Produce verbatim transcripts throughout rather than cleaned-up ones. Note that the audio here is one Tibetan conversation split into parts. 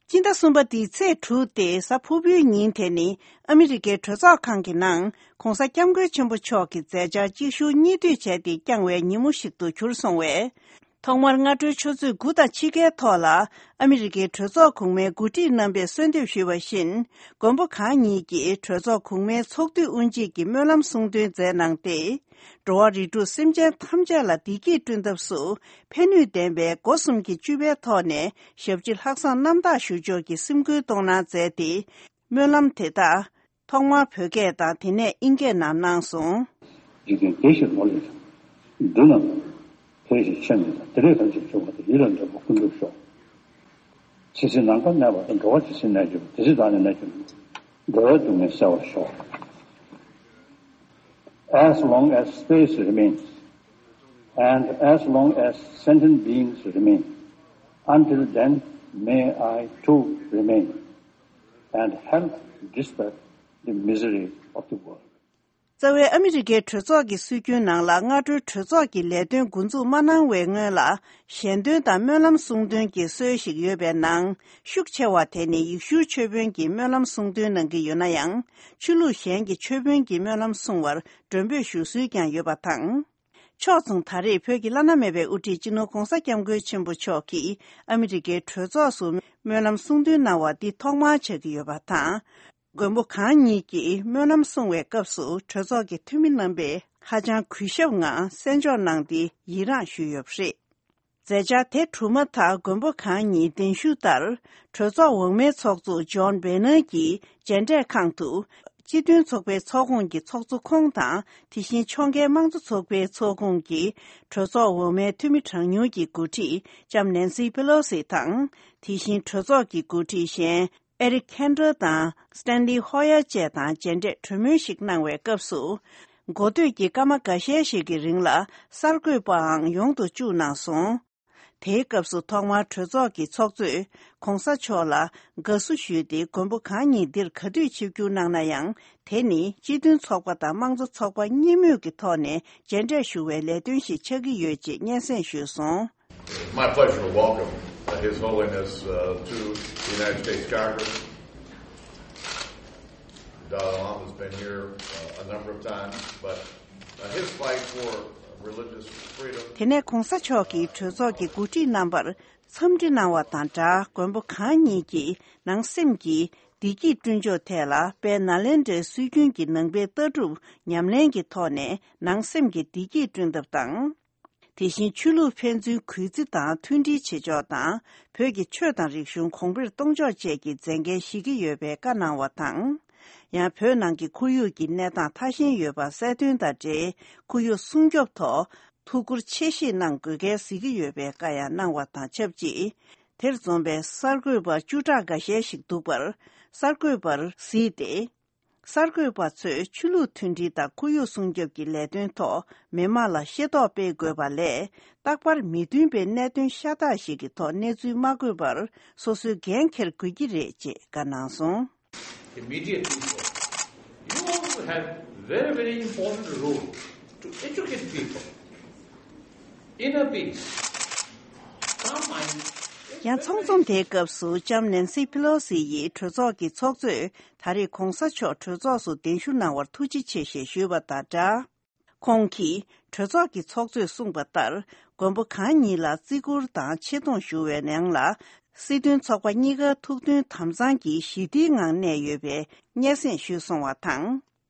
སྤྱི་ཟླ་གསུམ་པ་འདིའི་ཚེས་དྲུག་སྟེ་གཟའ་ཕུར་བུའི་ཉིན་དེ་ནི་ཨ་མི་རི་ཀའི་གྲོས་ཚོགས་ཁང་གི་ནང་གོང་ས་སྐྱབས་མགོན་ཆེན་པོ་མཆོག་གི་མཛད་འཆར་གཅིག་མཇུག་གཉིས་མཐུད་བྱས་ཏེ་བསྐྱངས་བའི་ཉིན་མོ་ཞིག་ཏུ་གྱུར་སོང་བས། ཐོག་མར་སྔ་དྲོའི་ཆུ་ཚོད་དགུ་དང་ཕྱེད་ཀའི་ཐོག་ལ་ཨ་མི་རི་ཀའི་གྲོས་ཚོགས་གོང་མའི་འགོ་ཁྲིད་རྣམ་པས་གསོལ་འདེབས་ཞུས་པ་བཞིན། མགོན་པོ་གང་ཉིད་ཀྱིས་གྲོས་ཚོགས་གོང་མའི་ཚོགས་འདུའི་དབུ་འབྱེད་ཀྱི་སྨོན་ལམ་གསུང་འདོན་མཛད་གནང་སྟེ། འགྲོ་བ་རིགས་དྲུག་སེམས་ཅན་ཐམས་ཅད་ལ་བདེ་སྐྱིད་བསྐྲུན་ཐབས་སུ་ཕན་ནུས་ལྡན་པའི་སྒོ་གསུམ་གྱི་སྤྱོད་པའི་ཐོག་ནས་ཞབས་ཕྱི་ལྷག་བསམ་རྣམ་དག་ཞུ་ཕྱོགས་ཀྱི་སེམས་ཁུར་གཏོང་གནང་མཛད་དེ། སྨོན་ལམ་དེ་དག་ཐོག་མར་བོད་སྐད་དང་དེ་ནས་དབྱིན་སྐད་ནང་གནང་སོང་། འཇིག་རྟེན་བདེ་ཞིང་ལོ་ལེགས་ཤོག་འདི་རྣམས་དེ་བཞིན་ཆོས་མིན་དང་དེ་ལས་ཐམས་ཅད་བྱུང་བ་དང་ཡིད་ལ་འདོད་པ་ཀུན་འགྲུབ་ཤོག་ཇི་སྲིད་ནམ་མཁའ་གནས་པ་དང་འགྲོ་བ་ཇི་སྲིད་གནས་གྱུར་པ་དེ་སྲིད་བདག་ནི་གནས་གྱུར་འགྲོ་བའི་སྡུག་བསྔལ་བསལ་བར་ཤོག As long as space remains and as long as sentient beings remain, until then may I too remain and help dispel the misery of the world. རྩ་བའི་ཨ་མི་རི་ཀའི་གྲོས་ཚོགས་ཀྱི་སྲོལ་རྒྱུན་ནང་ལ་སྔ་དྲོའི་གྲོས་ཚོགས་ཀྱི་ལས་དོན་འགོ་འཛུགས་མ་གནང་བའི་སྔོན་ལ་ཞལ་འདོན་དང་སྨོན་ལམ་གསུང་འདོན་གྱི་སྲོལ་ཞིག་ཡོད་པའི་ནང་ཤུགས་ཆེ་བ་དེ་ནི་ཡེ་ཤུའི་ཆོས་དཔོན་གྱིས་སྨོན་ལམ་གསུང་འདོན་གནང་གི་ཡོད་ན་ཡང་། ཆོས་ལུགས་གཞན་གྱི་ཆོས་དཔོན་གྱིས་སྨོན་ལམ་གསུང་བར་མགྲོན་འབོད་ཞུ་སྲོལ་ཀྱང་ཡོད་པ་དང་། ཕྱོགས་མཚུངས་ད་རེས་བོད་ཀྱི་བླ་ན་མེད་པའི་དབུ་ཁྲིད་སྤྱི་ནོར་༧གོང་ས་༧སྐྱབས་མགོན་ཆེན་པོ་མཆོག་གིས་ཨ་མི་རི་ཀའི་གྲོས་ཚོགས་སུ་སྨོན་ལམ་གསུང་འདོན་གནང་བ་འདི་ཐོག་མར་ཆགས་ཀྱི་ཡོད་པ་དང་། མགོན་པོ་གང་ཉིད་ཀྱིས་སྨོན་ལམ་གསུང་བའི་སྐབས་སུ་གྲོས་ཚོགས་ཀྱི་འཐུས་མི་རྣམ་པས་ཧ་ཅང་གུས་ཞབས་ངང་གསན་འཇོག་གནང་སྟེ་ཡི་རངས་ཞུས་ཡོད་པ་རེད། མཛད་འཆར་དེ་གྲུབ་མ་ཐག་མགོན་པོ་གང་ཉིད་གདན་ཞུ་ལྟར་གྲོས་ཚོགས་འོག་མའི་ཚོགས་གཙོ་ཇོན་བེ་ནར་གྱི་མཇལ་འཕྲད་ཁང་དུ། སྤྱི་མཐུན་ཚོགས་པའི་ཚོགས་ཁོངས་ཀྱི་ཚོགས་གཙོ་ཁོང་དང་། དེ་བཞིན་ཕྱོགས་འགལ་དམངས་གཙོ་ཚོགས་པའི་ཚོགས་ཁོངས་ཀྱི་གྲོས་ཚོགས་འོག་མའི་འཐུས་མི་གྲངས་ཉུང་གི་འགོ་ཁྲིད་ལྕམ་ནན་སི་པེ་ལོ་སི་དང་། དེ་བཞིན་གྲོས་ཚོགས་ཀྱི་འགོ་ཁྲིད་གཞན་ཨེ་རིག་ཁན་ཏྲོ་དང་སི་ཏན་ལི་ཧོ་ཡར་བཅས་དང་མཇལ་འཕྲད་གྲོས་མོལ་ཞིག་གནང་བའི་སྐབས་སུ། འགོ་སྟོད་ཀྱི་སྐར་མ་འགའ་ཤས་ཤིག་གི་རིང་ལ་གསར་འགོད་པའང་ཡོང་དུ་བཅུག་གནང་སོང་། དེའི་སྐབས་སུ་ཐོག་མར་གྲོས་ཚོགས་ཀྱི་ཚོགས་གཙོས་༧གོང་ས་མཆོག་ལ་དགའ་བསུ་ཞུས་ཏེ། མགོན་པོ་གང་ཉིད་འདིར་ག་དུས་ཆིབས་བསྒྱུར་གནང་ན་ཡང་། དེ་ནི་སྤྱི་མཐུན་ཚོགས་པ་དང་དམངས་གཙོ་ཚོགས་པ་གཉིས་མོས་ཀྱི་ཐོག་ནས་མཇལ་འཕྲད་ཞུ་བའི་ལས་དོན་ཞིག་ཆགས་ཀྱི་ཡོད་ཅེས་སྙན་སེང་ཞུས་སོང་། My pleasure to welcome, uh, His Holiness, uh, to the United States Congress. Dalai Lama's been here, uh, a number of times, but, uh, his fight for religious freedom. དེ་ནས་༧གོང་ས་མཆོག་གིས་གྲོས་ཚོགས་ཀྱི་འགོ་ཁྲིད་རྣམ་པར་འཚམས་འདྲི་གནང་བ་དང་སྦྲགས། མགོན་པོ་གང་ཉིད་ཀྱིས་ནང་སེམས་ཀྱི་བདེ་སྐྱིད་བསྐྲུན་ཕྱོགས་ཐད་ལ་དཔལ་ནཱ་ལེནྡྲའི་སྲོལ་རྒྱུན་གྱི་ནང་པའི་ལྟ་གྲུབ་ཉམས་ལེན་གྱི་ཐོག་ནས་ནང་སེམས་ཀྱི་བདེ་སྐྱིད་བསྐྲུན་ཐབས་དང་། དེ་བཞིན་ཆོས་ལུགས་ཕན་ཚུན་གུས་བརྩི་དང་མཐུན་སྒྲིལ་བྱེད་ཕྱོགས་དང་། བོད་ཀྱི་ཆོས་དང་རིག་གཞུང་གོང་འཕེལ་གཏོང་ཕྱོགས་བཅས་ཀྱི་མཛད་འགན་བཞེས་ཀྱི་ཡོད་པའི་བཀའ་གནང་བ་དང་། ཡང་བོད་ནང་གི་ཁོར་ཡུག་གི་གནས་སྟངས་ཐ་ཞན་ཡོད་པ་གསལ་སྟོན་དང་འབྲེལ། ཁོར་ཡུག་སྲུང་སྐྱོབ་ཐོག་ཐུགས་ཁུར་ཆེ་བཞེས་གནང་དགོས་གལ་གཟིགས་ཀྱི་ཡོད་པའི་བཀའ་ཡང་གནང་བ་དང་ཆབས་ཅིག་དེར་འཛོམས་པའི་གསར་འགོད་པ་བཅུ་ཕྲག་འགའ་ཤས་ཤིག་འདུག་པར་གསར་འགོད་པར་གཟིགས་ཏེ། གསར་འགོད་པ་ཚོས་ཆོས་ལུགས་མཐུན་སྒྲིལ་དང་ཁོར་ཡུག་སྲུང་སྐྱོབ་ཀྱི་ལས་དོན་ཐོག་མི་མང་ལ་ཤེས་རྟོགས་སྤེལ་དགོས་པ་ལས། རྟག་པར་མི་མཐུན་པའི་གནད་དོན་ཤ་སྟག་ཞིག་གི་ཐོག་གནས་ཚུལ་མ་འགོད་པར་སོ་སོས་འགན་འཁྱེར་དགོས་ཀྱི་རེད་ཅེས་བཀའ་གནང་སོང་། Immediate people. You also have very, very important role to educate people. Inner peace. Calm mind. ཡང་ཚོགས་འཛོམས་དེའི་སྐབས་སུ་ལྕམ་ནན་སི་ཕི་ལོ་སི་ཡིས་གྲོས་ཚོགས་ཀྱི་ཚོགས་གཙོས་ད་རེས་གོང་ས་མཆོག་གྲོས་ཚོགས་སུ་གདན་ཞུ་གནང་བར་ཐུགས་རྗེ་ཆེ་ཞེས་ཞུས་པ་དང་སྦྲགས། ཁོང་གིས་གྲོས་ཚོགས་ཀྱི་ཚོགས་གཙོས་གསུངས་པ་ལྟར། མགོན་པོ་གང་ཉིད་ལ་བརྩི་བཀུར་དང་ཆེ་མཐོང་ཞུ་བའི་ནང་ལ། སྲིད་དོན་ཚོགས་པ་གཉིས་ཀ་ཐུགས་མཐུན་དམ་གཙང་གི་ཞི་བདེའི་ངང་གནས་ཡོད་པའི་སྙན་སེང་ཞུས་སོང་བ་དང་།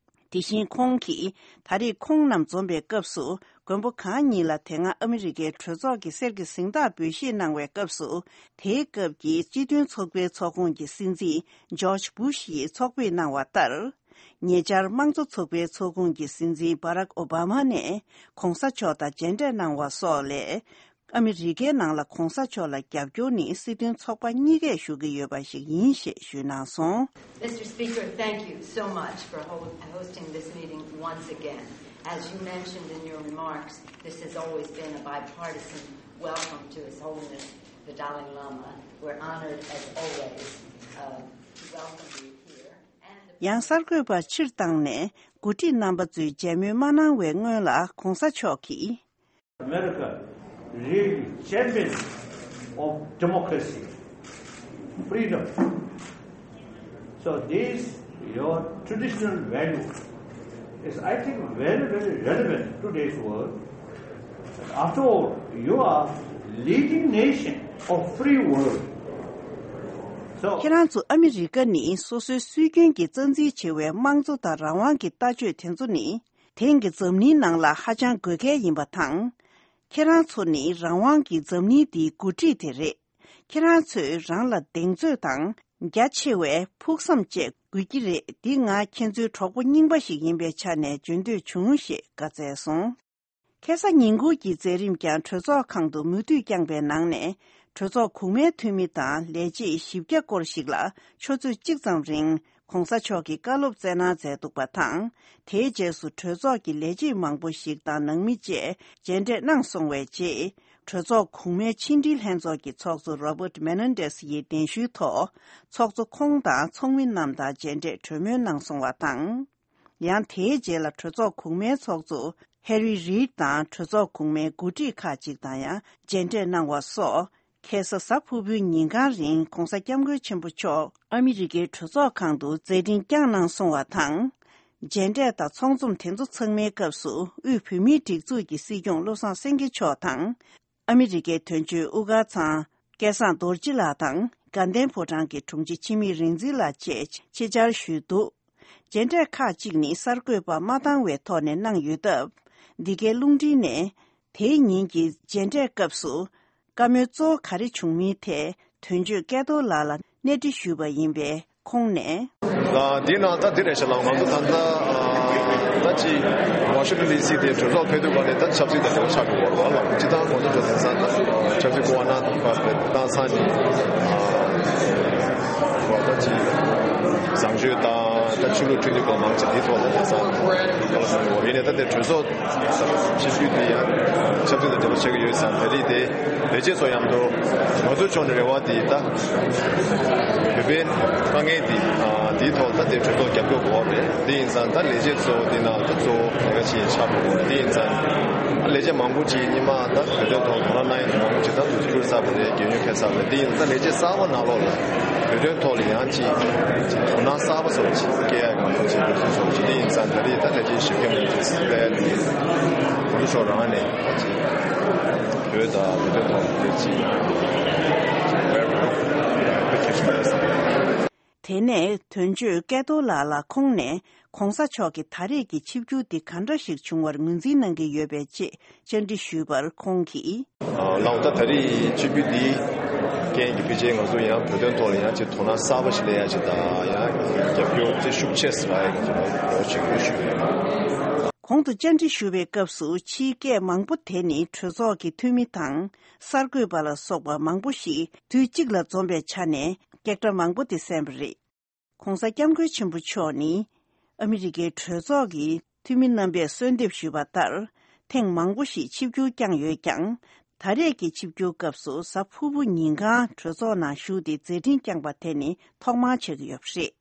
དེ་བཞིན་ཁོང་གིས་ད་རེས་ཁོང་རྣམས་འཛོམས་པའི་སྐབས་སུ། མགོན་པོ་གང་ཉིད་ལ་དེ་སྔ་ཨ་མི་རི་ཀའི་གྲོས་ཚོགས་ཀྱི་གསེར་གྱི་གཟེངས་རྟགས་འབུལ་བཞེས་གནང་བའི་སྐབས་སུ། དེའི་སྐབས་ཀྱི་སྤྱི་མཐུན་ཚོགས་པའི་ཚོགས་ཁོངས་ཀྱི་སྲིད་འཛིན་ཇོརྗ་བུ་ཤི་ཡིས་ཚོགས་ཕེབས་གནང་བ་ལྟར། ཉེ་ཆར་དམངས་གཙོ་ཚོགས་པའི་ཚོགས་ཁོངས་ཀྱི་སྲིད་འཛིན་བྷ་རག་ཨོ་བྷ་མ་ནས་གོང་ས་མཆོག་དང་མཇལ་འཕྲད་གནང་བ་སོགས་ལས། ཨ་མི་རི་ཀའི་ནང་ལ་གོང་ས་མཆོག་ལ་རྒྱབ་སྐྱོར་ནི་སྲིད་དོན་ཚོགས་པ་གཉིས་ཀས་ཞུ་གི་ཡོད་པ་ཞིག་ཡིན་ཞེས་ཞུས་གནང་སོང་། Mister Speaker, thank you so much for ho- hosting this meeting once again. As you mentioned in your remarks, this has always been a bipartisan welcome to His Holiness the Dalai Lama. We're honored as always uh, to welcome you here. And the ཡང་གསར་འགོད་པ་ཕྱིར་བཏང་ནས་འགོ་ཁྲིད་རྣམ་པ་ཚོས་མཇལ་མོལ་མ་གནང་བའི་སྔོན་ལ་གོང་ས་མཆོག་གིས། America, really champion of democracy. freedom. So this your traditional value is, I think, very, very relevant to today's world. After all, you are leading nation of free world. So ཁྱེད་རང་ཚོ་ཨ་མི་རི་ཀ་ནི་སོ་སོའི་སྲོལ་རྒྱུན་གྱི་རྩ་འཛིན་ཆེ་བའི་དམངས་གཙོ་དང་རང་དབང་གི་ལྟ་སྤྱོད་དེ་ཚོ་ནི་དེང་གི་འཛམ་གླིང་ནང་ལ་ཧ་ཅང་དགོས་གལ་ཡིན་པ་དང་། ཁྱེད་རང་ཚོ་ནི་རང་དབང་གི་འཛམ་གླིང་འདིའི་འགོ་ཁྲིད་དེ་རེད། ཁྱེད་རང་ཚོས་རང་ལ་གདེང་ཚོད་དང་རྒྱ་ཆེ་བའི་ཕུགས་བསམ་བཅས་དགོས་ཀྱི་རེད། འདི་ང་ཁྱེད་ཚོའི་གྲོགས་པོ་རྙིང་པ་ཞིག་ཡིན་པའི་ཆ་ནས་བརྗོད་འདོད་བྱུང་ཞེས་བཀའ་སྩལ་སོང་། ཁ་སང་ཉིན་གུང་གི་མཛད་རིམ་ཀྱང་གྲོས་ཚོགས་ཁང་དུ་མུ་མཐུད་བསྐྱངས་པའི་ནང་ནས། གྲོས་ཚོགས་གོང་མའི་འཐུས་མི་དང་ལས་བྱེད་བཞི་བརྒྱ་སྐོར་ཞིག་ལ་ཆུ་ཚོད་གཅིག་ཙམ་རིང་གོང་ས་མཆོག་གིས་བཀའ་སློབ་སྩལ་གནང་མཛད་འདུག་པ་དང་། དེའི་རྗེས་སུ་གྲོས་ཚོགས་ཀྱི་ལས་བྱེད་མང་པོ་ཞིག་དང་ནང་མི་བཅས་མཇལ་འཕྲད་གནང་སོང་བའི་རྗེས། གྲོས་ཚོགས་གོང་མའི་ཕྱི་འབྲེལ་ལྷན་ཚོགས་ཀྱི་ཚོགས་གཙོ་Robert Menendez་ཡི་གདན་ཞུའི་ཐོག་ཚོགས་གཙོ་ཁོང་དང་ཚོགས་མི་རྣམས་དང་མཇལ་འཕྲད་གྲོས་མོལ་གནང་སོང་བ་དང་། ཡང་དེའི་རྗེས་ལ་གྲོས་ཚོགས་གོང་མའི་ཚོགས་གཙོ་Harry Reid་དང་གྲོས་ཚོགས་གོང་མའི་འགོ་ཁྲིད་ཁག་ཅིག་དང་ཡང་མཇལ་འཕྲད་གནང་བ་སོགས། ཁ་སང་གཟའ་ཕུར་བུའི་ཉིན་གང་རིང་གོང་ས་སྐྱབས་མགོན་ཆེན་པོ་མཆོག་ཨ་མི་རི་ཀའི་གྲོས་ཚོགས་ཁང་དུ་མཛད་འཕྲིན་བསྐྱངས་གནང་སོང་བ་དང་། མཇལ་འཕྲད་དང་ཚོགས་འཛོམས་དེ་ཚོ་ཚང་མའི་སྐབས་སུ་དབུས་བོད་མིའི་སྒྲིག་འཛུགས་ཀྱི་སྲིད་སྐྱོང་བློ་བཟང་སེང་གེ་མཆོག་དང་། ཨ་མི་རི་ཀའི་དོན་གཅོད་དབུ་དཀར་ཚང་སྐལ་བཟང་རྡོ་རྗེ་ལགས་དང་དགའ་ལྡན་ཕོ་བྲང་གི་དྲུང་ཆེ་འཆི་མེད་རིག་འཛིན་ལགས་བཅས་ཆེད་བཅར་ཞུས་འདུག་མཇལ་འཕྲད་ཁག་ཅིག་ནི་གསར་འགོད་པ་མ་བཏང་བའི་ཐོག་ནས་གནང་ཡོད་སྟབས། འདི་གའི་རླུང་འཕྲིན་ནས་དེའི་ཉིན་གྱི་མཇལ་འཕྲད་སྐབས་སུ་བཀའ་མོལ་གཙོ་བོ་ག་རེ་བྱུང་མིན་ཐད་དོན་གཅོད་སྐལ་རྡོར་ལགས་ལ་གནས་འདྲི་ཞུས་པ་ཡིན་པས་ཁོང་ནས། ཨ་འདི་ནང་ད་འདི་རེད་ཤག་ལ། ང་ཚོ་ད་ལྟ་ད་ཅི་ཝ་ཤིང་ཊོན་ཌི་སི་དེ་གྲོས་ཚོགས་ཕེབས་དུས་ག་ནས་ད་ཆབ་སྲིད་དང་འབྲེལ་བ་ཆགས་ཀྱི་ཡོད་རེད་བ་ལ། སྤྱི་བཏང་ང་ཚོ་གྲོས་ཚོགས་ས་ཆབ་སྲིད་སྐུ་དབང་གནང་ཐུབ་པ་བཏང་ས་ནི་ད་ཅི་བཟང་སྤྱོད་དང་ད་ཆོས་ལུགས་མཐུན་སྒྲིལ་སྐོར་མང་ཆེ་འདི་ཐོག་ལ་ཡིན་ས་ཡིན་ནས་ད་དེ་གྲོས་ཚོགས། སྤྱི་འཐུས་དེ་ཡང་ཆབ་སྲིད་དང་འབྲེལ་བ་ཆགས་ཀྱི་ཡོད་ཙང་། ད་རེས་དེ་ལས་བྱེད་ཚོ་མཉམ་དུ་ང་ཚོའི་ཕྱོགས་ནས་རེ་བ་དེ་ད་བོད་པའི་དཀའ་ངལ་དེ་དེའི་ཐོག་ད་དེ་གྲོས་ཚོགས་རྒྱབ་སྐྱོར་དགོས་པ་རེད། དེ་ཡིན་ཙང་ད་ལས་བྱེད་ཚོ་དེ་ནང་ད་གཙོ་བོ་ལས་ཀ་བྱེད་ཡས་ཆགས་དགོས་པ་རེད། དེ་ཡིན་ཙང་ད་ལས་བྱེད་མང་པོ་ཅིག་སྔོན་མ་ད་བོད་དོན་ཐོག་དོ་སྣང་གནང་ཡས་ཚོ་མང་པོ་ཅིག་ད་དུ་གྱུར་ཚར་བ་རེད། རྒས་ཡོལ་ཕེབས་ཚར་བ་རེད། དེ་ཡིན་ཙང་ད་ལས་བྱེད་གསར་པ་ནང་ལོགས་ལ། བོད་དོན་ཐོག་ལ་ཡང་ཅིག་དོ་སྣང་གསར་པ་སོགས་ཅིག་སྐྱེ་ཡག་གི་ང་ཚོ་ཅིག་འདུག་སེ་བྱུང་ཅིག་དེ་ཡིན་ཙང་ད་རེས་ད་ལས་བྱེད་ཞིབ་སྐྱོང་ལས་ཀྱི་སླད་དེ་གོང་ས་མཆོག་རང་ནས་ད་ཅིག་བོད་དང་བོད་དོན་ཐོག་ལ་དེ་ཅིག་ཡང་ཅིག་བེར་བེར་བེར་ཁྱེར་སོང་ཡོད་ས་རེད། དེ་ནས་དོན་གཅོད་སྐལ་རྡོར་ལགས་ལ་ཁོང་ནས་གོང་ས་མཆོག་གི་ད་རེས་ཀྱི་ཆིབས་བསྒྱུར་འདི་ག་འདྲ་ཞིག་བྱུང་བར་ངོས་འཛིན་གནང་གི་ཡོད་པའི་ཆེད་བཅར་འདྲི་ཞུས་པར་ཁོང་གིས། ལགས་འོང་། ད་ད་རེས་ཆིབས་བསྒྱུར་འདིའི་རྐྱེན་གྱིས་ཕལ་ཆེར་ང་ཚོ་ཡང་བོད་དོན་ཐོག་ལ་ཡང་ཅིག་དོ་སྣང་གསར་པ་ཞིག་སླེབས་ཡ་ཅིག་དང་། ཡང་རྒྱབ་སྐྱོར་དེ་ཤུགས་ཆེ་ཟེར་བ་ཡང་ང་ཚོ་ལ་འོ་ཅིག་ཡོད་ཞུ་གི་ཡོད། གོང་དུ་བཅར་འདྲི་ཞུ་བའི་སྐབས་སུ་ཕྱིའི་སྐད་མང་པོ་དེ་ནི་གྲོས་ཚོགས་ཀྱི་འཐུས་མི་དང་གསར་འགོད་པ་ལ་སོགས་པ་མང་པོ་ཞིག་དུས་གཅིག་ལ་འཛོམས་པའི་ཆ་ནས་སྐད་སྒྲ་མང་པོ་དེ་གསན་པ་རེད། གོང་ས་སྐྱབས་མགོན་ཆེན་པོ་མཆོག་ནི་ཨ་མི་རི་ཀའི་གྲོས་ཚོགས་ཀྱི་འཐུས་མི་རྣམ་པས་གསོལ་འདེབས་ཞུས་པ་ལྟར། ཐེངས་མང་པོ་ཞིག་ཆིབས་བསྒྱུར་བསྐྱངས་ཡོད་ཀྱང་། ད་རེས་ཀྱི་ཆིབས་བསྒྱུར་སྐབས་སུ་གཟའ་ཕུར་བུ་ཉིན་གང་གྲོས་ཚོགས་ནང་བཞུགས་ཏེ་མཛད་འཕྲིན་བསྐྱངས་པ་དེ་ནི་ཐོག་མར་ཆགས་ཀྱི་ཡོད་པ་རེད།